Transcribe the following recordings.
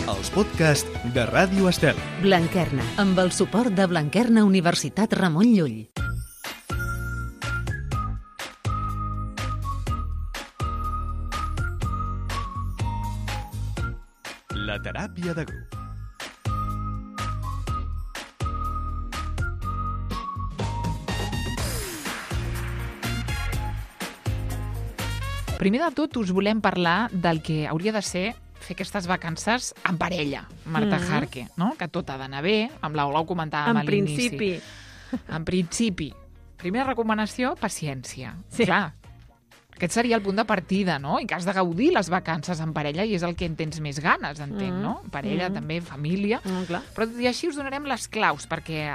els podcasts de Ràdio Estel. Blanquerna, amb el suport de Blanquerna Universitat Ramon Llull. La teràpia de grup. Primer de tot, us volem parlar del que hauria de ser fer aquestes vacances en parella, Marta Jarque, no? Que tot ha d'anar bé, amb l'Ola ho comentàvem a l'inici. En principi. Primera recomanació, paciència. Sí. Clar, aquest seria el punt de partida, no? I que has de gaudir les vacances en parella i és el que en tens més ganes, entenc, no? Parella, també, família. Clar. Però tot i així us donarem les claus perquè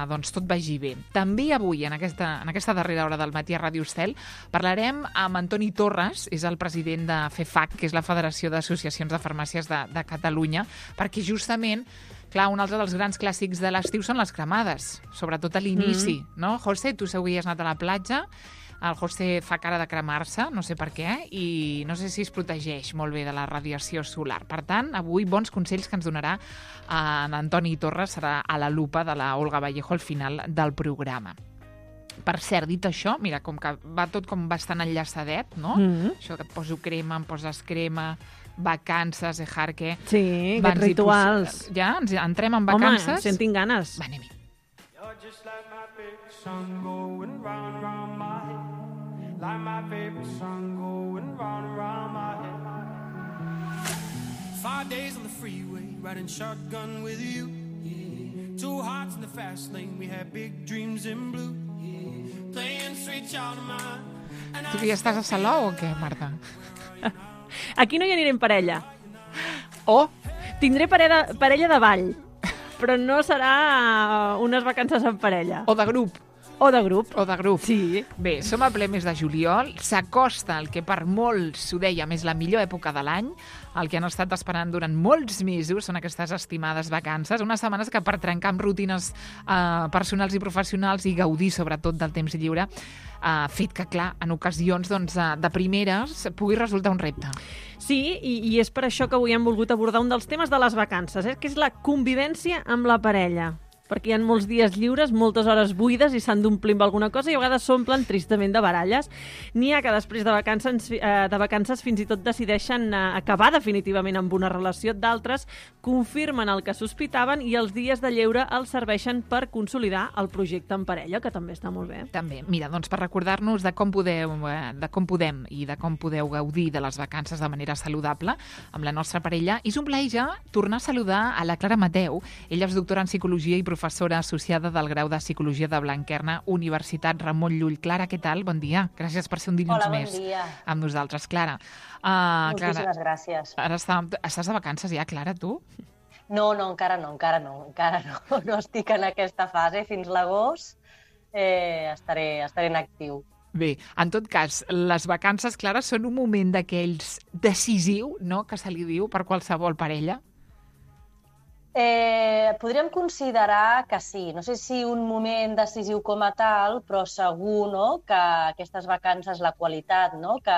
doncs, tot vagi bé. També avui, en aquesta darrera hora del matí a Ràdio Estel, parlarem amb Antoni Torres, és el president de FEFAC, que és la Federació d'Associacions de Farmàcies de Catalunya, perquè justament clar, un altre dels grans clàssics de l'estiu són les cremades, sobretot a l'inici, no? José, tu segur que has anat a la platja, el José fa cara de cremar-se, no sé per què, i no sé si es protegeix molt bé de la radiació solar. Per tant, avui bons consells que ens donarà en Antoni Torres, serà a la lupa de la Olga Vallejo al final del programa. Per cert, dit això, mira, com que va tot com bastant enllaçadet, no? Això que et poso crema, em poses crema, vacances, Jarque. Sí, aquests rituals. Ja? Ens entrem en vacances? Home, sentim ganes. Va, anem-hi. You're just like my favorite song going round and round my head. Like my favorite song going round and round my head. 5 days on the freeway, riding shotgun with you. Yeah. 2 hearts in the fast lane, we had big dreams in blue. Yeah. Playing sweet child of mine. Tu ja estàs a Salou o què, Marta? Aquí no hi aniré en parella. Oh! Tindré parella de ball, però no serà unes vacances en parella. O de grup. O de grup. O de grup. Sí. Bé, som a ple mes de juliol, s'acosta el que per molts s'ho dèiem és la millor època de l'any, el que han estat esperant durant molts mesos són aquestes estimades vacances, unes setmanes que per trencar amb rutines personals i professionals i gaudir sobretot del temps lliure, fet que, clar, en ocasions doncs, de primeres pugui resultar un repte. Sí, i és per això que avui hem volgut abordar un dels temes de les vacances, que és la convivència amb la parella. Perquè hi ha molts dies lliures, moltes hores buides i s'han d'omplir amb alguna cosa i a vegades s'omplen tristament de baralles. N'hi ha que després de vacances fins i tot decideixen acabar definitivament amb una relació, d'altres confirmen el que sospitaven i els dies de lleure els serveixen per consolidar el projecte en parella, que també està molt bé. També. Mira, doncs per recordar-nos de com podem i de com podeu gaudir de les vacances de manera saludable amb la nostra parella, és un plaer ja tornar a saludar a la Clara Mateu. Ella és doctora en Psicologia i professora associada del grau de Psicologia de Blanquerna, Universitat Ramon Llull. Clara, què tal? Bon dia. Gràcies per ser un dilluns més amb nosaltres. Clara. Moltíssimes gràcies. Ara estàs de vacances ja, Clara, tu? No, encara no. No estic en aquesta fase. Fins l'agost estaré en actiu. Bé, en tot cas, les vacances, Clara, són un moment d'aquells decisiu, no?, que se li diu per qualsevol parella? Podríem considerar que sí. No sé si un moment decisiu com a tal, però segur, no?, que aquestes vacances, la qualitat, no?, que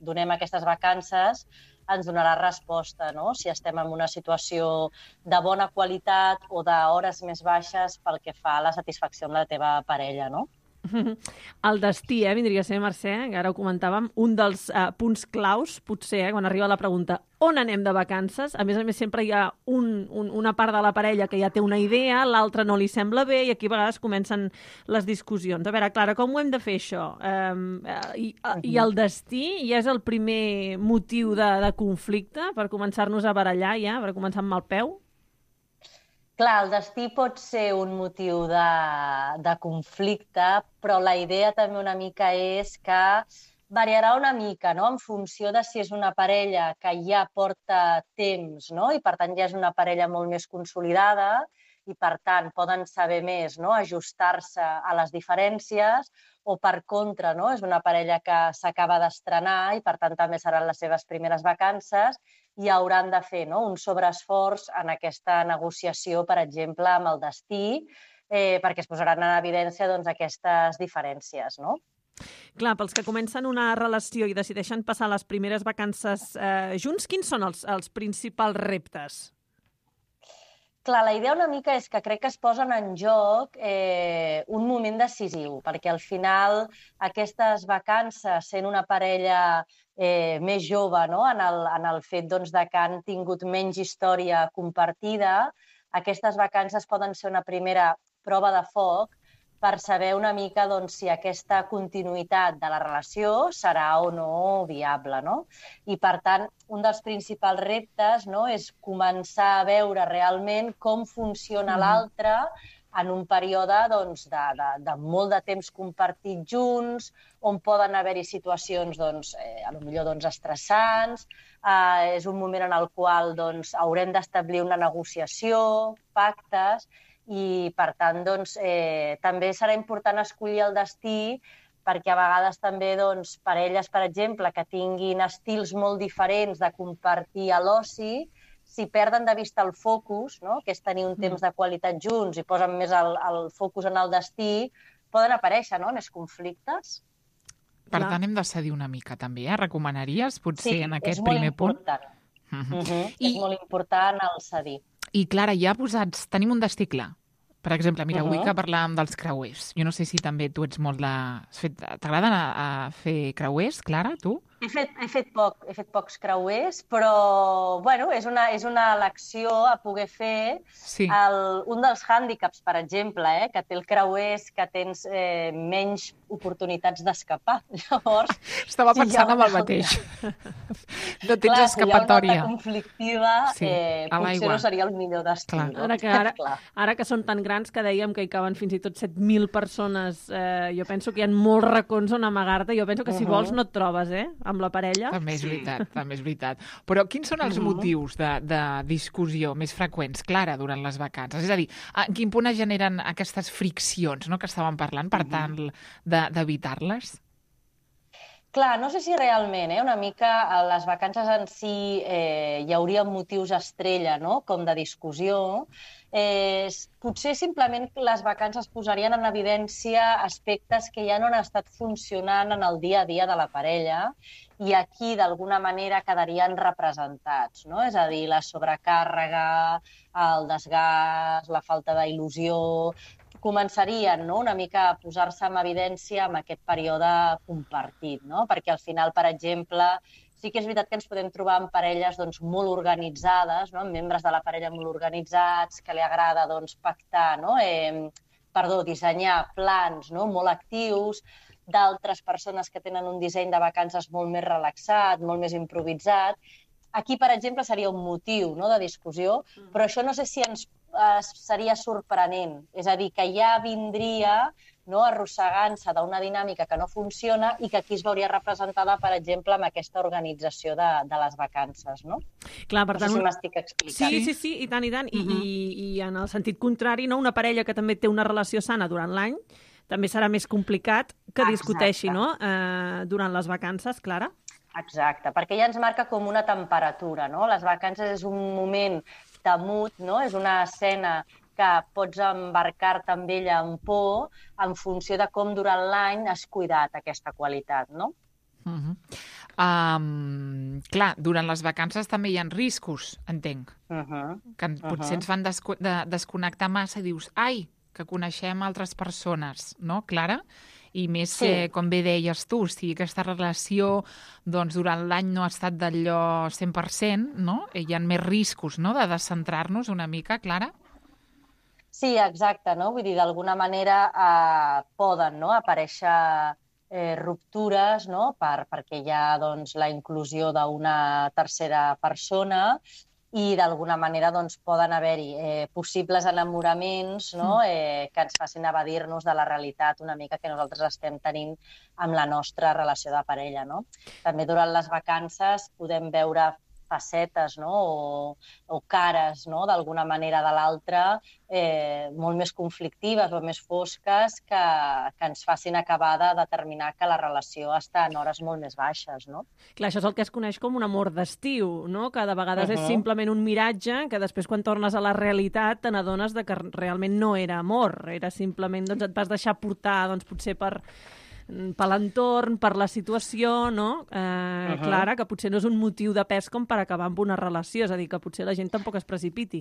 donem a aquestes vacances ens donarà resposta, no?, si estem en una situació de bona qualitat o d'hores més baixes pel que fa a la satisfacció amb la teva parella, no? El destí, vindria a ser, Mercè, que ara ho comentàvem, un dels punts claus, potser, quan arriba la pregunta on anem de vacances, a més sempre hi ha una part de la parella que ja té una idea, l'altra no li sembla bé i aquí a vegades comencen les discussions. A veure, Clara, com ho hem de fer això? I el destí ja és el primer motiu de conflicte per començar-nos a barallar ja, per començar amb mal peu? Clar, el destí pot ser un motiu de conflicte, però la idea també una mica és que variarà una mica, no?, en funció de si és una parella que ja porta temps, no?, i per tant ja és una parella molt més consolidada i per tant poden saber més, no?, ajustar-se a les diferències, o per contra, no?, és una parella que s'acaba d'estrenar i per tant també seran les seves primeres vacances i hauran de fer, no?, un sobreesforç en aquesta negociació, per exemple, amb el destí, perquè es posaran en evidència doncs, aquestes diferències, no? Clar, pels que comencen una relació i decideixen passar les primeres vacances junts, quins són els principals reptes? Clar, la idea una mica és que crec que es posen en joc un moment decisiu, perquè al final aquestes vacances, sent una parella més jove, no? en el fet doncs, de que han tingut menys història compartida, aquestes vacances poden ser una primera prova de foc per saber una mica doncs, si aquesta continuïtat de la relació serà o no viable. No? I, per tant, un dels principals reptes, no, és començar a veure realment com funciona l'altre en un període doncs, de molt de temps compartit junts, on poden haver-hi situacions potser doncs, estressants. És un moment en el qual doncs, haurem d'establir una negociació, pactes, i, per tant, doncs, també serà important escollir el destí perquè a vegades també doncs, parelles, per exemple, que tinguin estils molt diferents de compartir a l'oci, si perden de vista el focus, no? Que és tenir un temps de qualitat junts i posen més el focus en el destí, poden aparèixer més conflictes. Per tant, hem de cedir una mica, també, Recomanaries, potser, en aquest primer punt? És molt important el cedir. I, Clara, ja tenim un destí clar. Per exemple, mira, avui que parlàvem dels creuers. Jo no sé si també tu ets molt de... T'agrada anar a fer creuers, Clara, tu? He fet pocs creuers, però bueno, és una elecció a poder fer. Sí. Un dels hàndicaps, per exemple, que té el creuer és que tens menys oportunitats d'escapar. Llavors, estava pensant en el mateix. No tens escapatòria. Si hi ha una nota conflictiva, potser no seria el millor destí. Ara que són tan grans que dèiem que hi caben fins i tot 7.000 persones, jo penso que hi ha molts racons on amagar-te. Jo penso que si vols no et trobes, amb la parella. També és veritat. Però quins són els motius de discussió més freqüents, Clara, durant les vacances? És a dir, en quin punt es generen aquestes friccions, no?, que estàvem parlant, per tant, d'evitar-les? Clar, no sé si realment, una mica a les vacances en si hi hauria motius estrella, no?, com de discussió. Potser simplement les vacances posarien en evidència aspectes que ja no han estat funcionant en el dia a dia de la parella i aquí, d'alguna manera, quedarien representats, no? És a dir, la sobrecàrrega, el desgast, la falta d'il·lusió... començarien una mica a posar-se en evidència en aquest període compartit, no? Perquè al final, per exemple, sí que és veritat que ens podem trobar amb parelles molt organitzades, amb membres de la parella molt organitzats, que li agrada pactar, dissenyar plans molt actius, d'altres persones que tenen un disseny de vacances molt més relaxat, molt més improvisat. Aquí, per exemple, seria un motiu de discussió, però això no sé si ens seria sorprenent. És a dir, que ja vindria arrossegant-se d'una dinàmica que no funciona i que aquí es veuria representada, per exemple, amb aquesta organització de les vacances, no? Clar, per tant, no sé si m'estic explicant. Sí, i tant. I en el sentit contrari, una parella que també té una relació sana durant l'any també serà més complicat que discuteixi durant les vacances, Clara? Exacte, perquè ja ens marca com una temperatura, no? Les vacances és un moment temut, no? És una escena que pots embarcar-te amb ella en por en funció de com durant l'any has cuidat aquesta qualitat, no? Clar, durant les vacances també hi ha riscos, entenc, que potser ens fan desconnectar massa i dius, ai, que coneixem altres persones, no, Clara? I més, com bé deies tu, si aquesta relació durant l'any no ha estat d'allò 100%, no? Hi ha més riscos de descentrar-nos una mica, Clara? Sí, exacte, no? Vull dir, d'alguna manera poden aparèixer ruptures, no? Perquè hi ha la inclusió d'una tercera persona i d'alguna manera poden haver-hi possibles enamoraments que ens facin evadir-nos de la realitat una mica que nosaltres estem tenint amb la nostra relació de parella. També durant les vacances podem veure facetes o cares d'alguna manera de l'altra molt més conflictives o més fosques que ens facin acabar de determinar que la relació està en hores molt més baixes. Clar, això és el que es coneix com un amor d'estiu, que de vegades és simplement un miratge que després quan tornes a la realitat te n'adones que realment no era amor, era simplement et vas deixar portar potser per l'entorn, per la situació, no? Clara, que potser no és un motiu de pes com per acabar amb una relació, és a dir, que potser la gent tampoc es precipiti.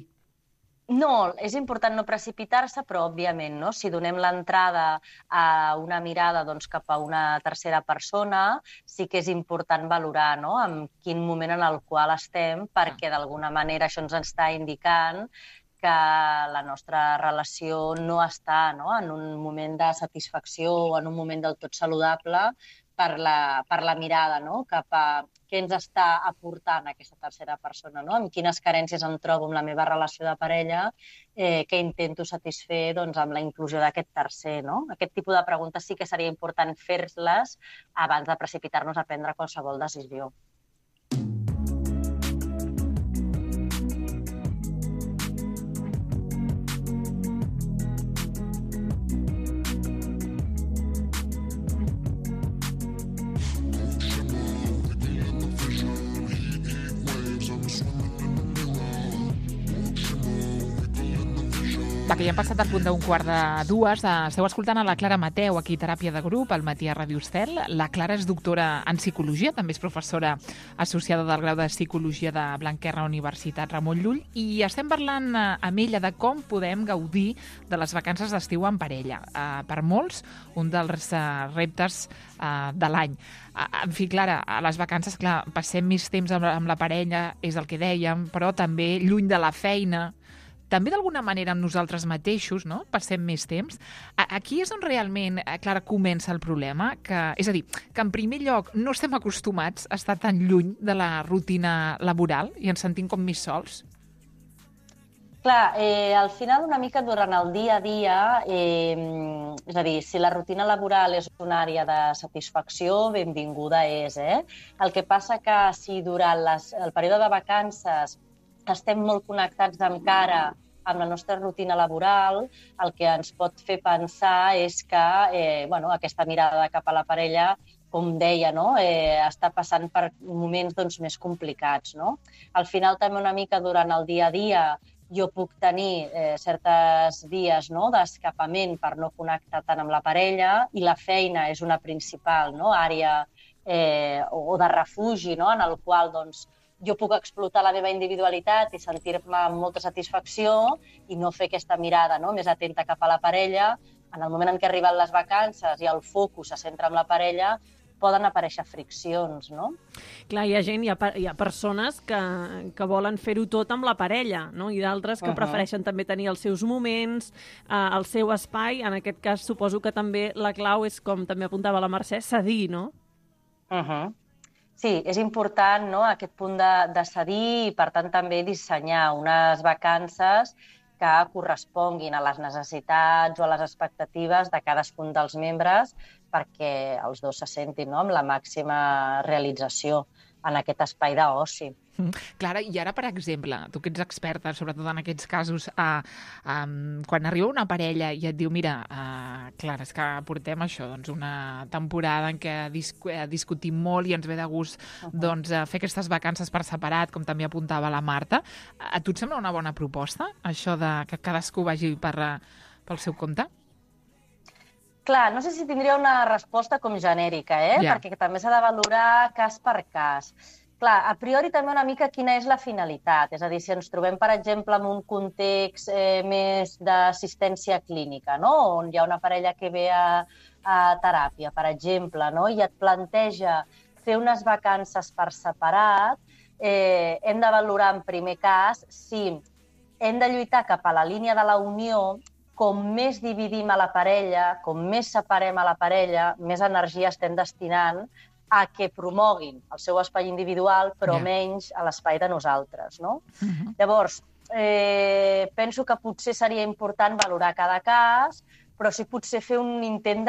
No, és important no precipitar-se, però, òbviament, no? Si donem l'entrada a una mirada doncs, cap a una tercera persona, sí que és important valorar, no?, en quin moment en el qual estem, perquè d'alguna manera això ens està indicant que la nostra relació no està, no?, en un moment de satisfacció o en un moment del tot saludable per la mirada, no?, cap a què ens està aportant aquesta tercera persona, no?, amb quines carències em trobo amb la meva relació de parella, que intento satisfer doncs, amb la inclusió d'aquest tercer, no? Aquest tipus de preguntes sí que seria important fer-les abans de precipitar-nos a prendre qualsevol decisió. Va, que ja hem passat al punt d'un 1:45. Esteu escoltant a la Clara Mateu, aquí Teràpia de Grup, al matí a Ràdio Estel. La Clara és doctora en Psicologia, també és professora associada del grau de Psicologia de Blanquerna Universitat Ramon Llull, i estem parlant amb ella de com podem gaudir de les vacances d'estiu en parella. Per molts, un dels reptes de l'any. En fi, Clara, a les vacances, clar, passem més temps amb la parella, és el que dèiem, però també lluny de la feina, també d'alguna manera amb nosaltres mateixos, no?, passem més temps. Aquí és on realment, Clara, comença el problema, és a dir, que en primer lloc no estem acostumats a estar tan lluny de la rutina laboral i ens sentim com més sols. Clar, al final una mica durant el dia a dia, és a dir, si la rutina laboral és una àrea de satisfacció, benvinguda és, El que passa que si durant el període de vacances estem molt connectats encara amb la nostra rutina laboral, el que ens pot fer pensar és que aquesta mirada cap a la parella, com deia, no?, està passant per moments doncs, més complicats. No? Al final, també una mica durant el dia a dia, jo puc tenir certes dies, no?, d'escapament per no connectar tant amb la parella, i la feina és una principal, no?, àrea o de refugi, no?, en el qual doncs, jo puc explotar la meva individualitat i sentir-me amb molta satisfacció i no fer aquesta mirada, no?, més atenta cap a la parella. En el moment en què arriben les vacances i el focus se centra en la parella, poden aparèixer friccions, no? Clar, hi ha gent, hi ha persones que volen fer-ho tot amb la parella, no?, i d'altres que prefereixen també tenir els seus moments, el seu espai. En aquest cas, suposo que també la clau és, com també apuntava la Mercè, cedir, no? Sí, és important, no?, aquest punt de cedir i, per tant, també dissenyar unes vacances que corresponguin a les necessitats o a les expectatives de cadascun dels membres perquè els dos se sentin, no?, amb la màxima realització en aquest espai d'oci. Clara, i ara, per exemple, tu que ets experta, sobretot en aquests casos, quan arriba una parella i et diu, mira, Clara, és que portem això, doncs una temporada en què discutim molt i ens ve de gust doncs, fer aquestes vacances per separat, com també apuntava la Marta. A tu et sembla una bona proposta, això de que cadascú vagi pel seu compte? Clar, no sé si tindria una resposta com genèrica, perquè també s'ha de valorar cas per cas. Clar, a priori també una mica quina és la finalitat. És a dir, si ens trobem, per exemple, en un context més d'assistència clínica, no?, on hi ha una parella que ve a teràpia, per exemple, no?, i et planteja fer unes vacances per separat, hem de valorar en primer cas si hem de lluitar cap a la línia de la unió. Com més dividim a la parella, com més separem a la parella, més energia estem destinant a que promoguin el seu espai individual, però menys a l'espai de nosaltres, no? Llavors, penso que potser seria important valorar cada cas, però sí potser fer un intent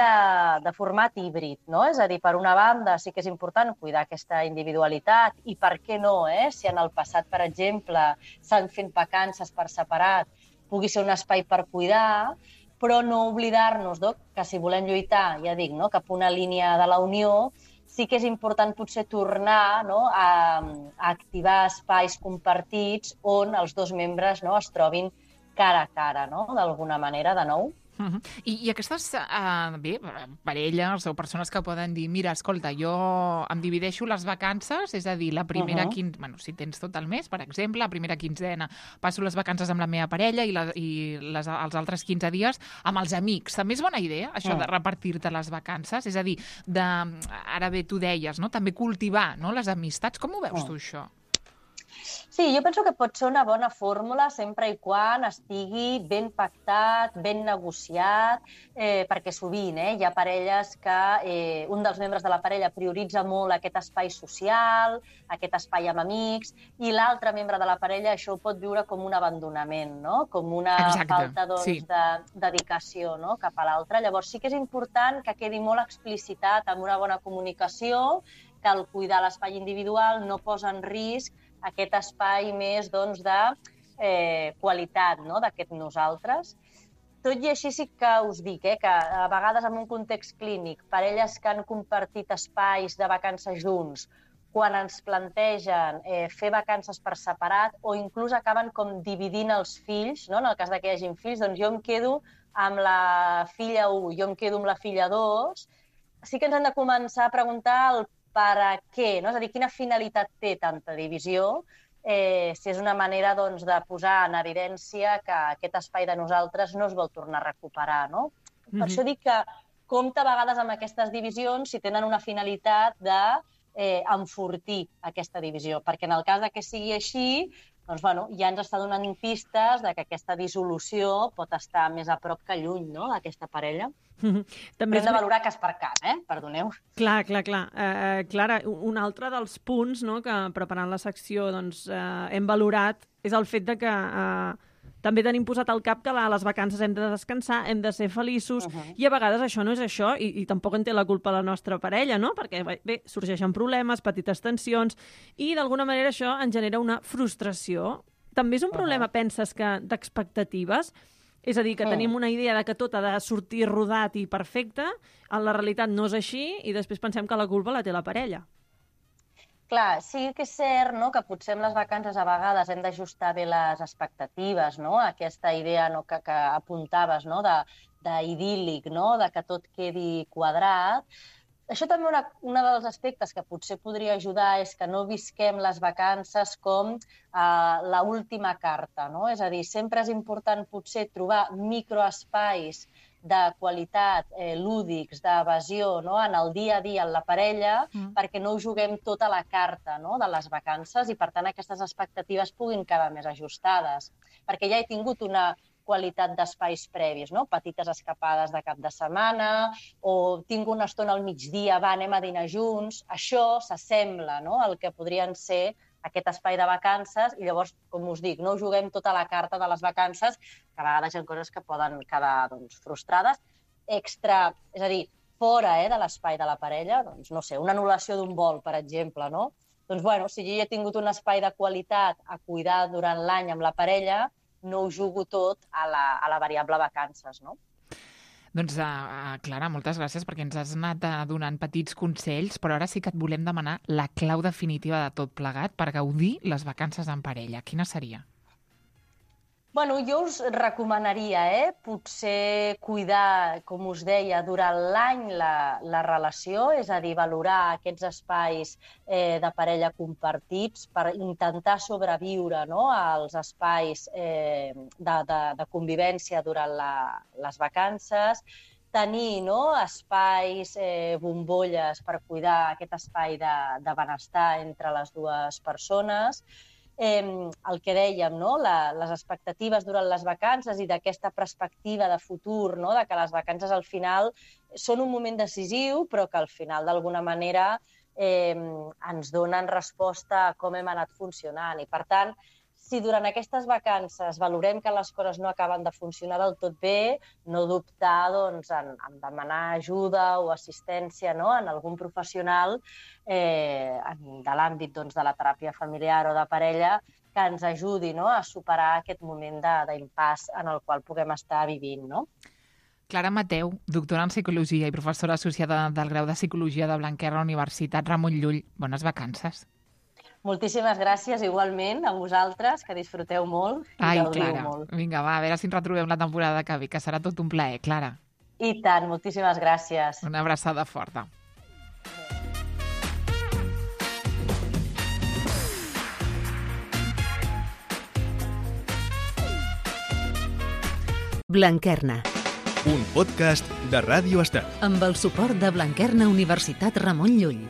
de format híbrid, no? És a dir, per una banda sí que és important cuidar aquesta individualitat i per què no, si en el passat, per exemple, s'han fet vacances per separat, pugui ser un espai per cuidar, però no oblidar-nos que si volem lluitar, ja dic, no?, cap a una línia de la unió, sí que és important potser tornar, no?, a activar espais compartits on els dos membres, no?, es trobin cara a cara, no?, d'alguna manera, de nou. I aquestes, parelles o persones que poden dir, mira, escolta, jo em divideixo les vacances, és a dir, la primera si tens tot el mes, per exemple, la primera quinzena passo les vacances amb la meva parella i els altres 15 dies amb els amics. També és bona idea, això de repartir-te les vacances? És a dir, ara bé, tu deies, no? També cultivar, no?, les amistats. Com ho veus tu, això? Sí, jo penso que pot ser una bona fórmula sempre i quan estigui ben pactat, ben negociat, perquè sovint hi ha parelles que un dels membres de la parella prioritza molt aquest espai social, aquest espai amb amics, i l'altre membre de la parella això ho pot viure com un abandonament, no? Com una falta de dedicació, no?, cap a l'altre. Llavors sí que és important que quedi molt explicitat amb una bona comunicació que el cuidar l'espai individual no posa en risc aquest espai més de qualitat, no?, d'aquest nosaltres. Tot i així sí que us dic que a vegades en un context clínic, parelles que han compartit espais de vacances junts, quan ens plantegen fer vacances per separat o inclús acaben com dividint els fills, no?, en el cas que hi hagin fills, doncs jo em quedo amb la filla 1, jo em quedo amb la filla 2, sí que ens hem de començar a preguntar el per a què, no? És a dir, quina finalitat té tanta divisió, si és una manera de posar en evidència que aquest espai de nosaltres no es vol tornar a recuperar, no? Per això dic que compta a vegades amb aquestes divisions si tenen una finalitat d'enfortir aquesta divisió, perquè en el cas que sigui així, doncs, ja ens està donant pistes que aquesta dissolució pot estar més a prop que lluny, no?, d'aquesta parella. També hem de valorar cas per cas, perdoneu. Clar. Clara, un altre dels punts, no?, que preparant la secció hem valorat és el fet que també tenim posat al cap que a les vacances hem de descansar, hem de ser feliços, i a vegades això no és això, i tampoc en té la culpa la nostra parella, no?, perquè bé, sorgeixen problemes, petites tensions, i d'alguna manera això ens genera una frustració. També és un problema, penses, d'expectatives? És a dir, que tenim una idea de que tot ha de sortir rodat i perfecte, en la realitat no és així, i després pensem que la culpa la té la parella. Clar, sí que és cert, no?, que potser amb les vacances a vegades hem d'ajustar bé les expectatives, no?, aquesta idea que apuntaves, no?, d'idíl·lic, no?, de que tot quedi quadrat. Això també un dels aspectes que potser podria ajudar és que no visquem les vacances com l'última carta, no? És a dir, sempre és important potser trobar microespais de qualitat, lúdics, d'evasió, no?, en el dia a dia en la parella, perquè no ho juguem tota la carta, no?, de les vacances i, per tant, aquestes expectatives puguin quedar més ajustades. Perquè ja he tingut una qualitat d'espais previs, no?, petites escapades de cap de setmana, o tinc una estona al migdia, anem a dinar junts. Això s'assembla, no?, al que podrien ser aquest espai de vacances, i llavors, com us dic, no juguem tota la carta de les vacances, que a vegades hi ha coses que poden quedar frustrades. Extra, és a dir, fora de l'espai de la parella, doncs, no sé, una anul·lació d'un vol, per exemple, no? Doncs, si jo he tingut un espai de qualitat a cuidar durant l'any amb la parella, no ho jugo tot a la variable vacances, no? Doncs, Clara, moltes gràcies perquè ens has anat donant petits consells, però ara sí que et volem demanar la clau definitiva de tot plegat per gaudir les vacances en parella. Quina seria? Jo us recomanaria, potser cuidar, com us deia, durant l'any la relació, és a dir, valorar aquests espais de parella compartits per intentar sobreviure, no?, als espais de convivència durant les vacances, tenir, no?, espais, bombolles per cuidar aquest espai de benestar entre les dues persones. El que dèiem, no?, les expectatives durant les vacances i d'aquesta perspectiva de futur, no?, de que les vacances al final són un moment decisiu, però que al final d'alguna manera ens donen resposta a com hem anat funcionant. I per tant, si durant aquestes vacances valorem que les coses no acaben de funcionar del tot bé, no dubtar en demanar ajuda o assistència, no?, en algun professional de l'àmbit de la teràpia familiar o de parella que ens ajudi, no?, a superar aquest moment d'impàs en el qual puguem estar vivint, no? Clara Mateu, doctora en Psicologia i professora associada del grau de Psicologia de Blanquerna Universitat Ramon Llull. Bones vacances. Moltíssimes gràcies igualment a vosaltres, que disfruteu molt i Ai, gaudiu Clara, molt. vinga, va, a veure si ens retrobem la temporada que ve, que serà tot un plaer, Clara. I tant, moltíssimes gràcies. Una abraçada forta. Blanquerna, Un podcast de Ràdio Estel. amb el suport de Blanquerna Universitat Ramon Llull.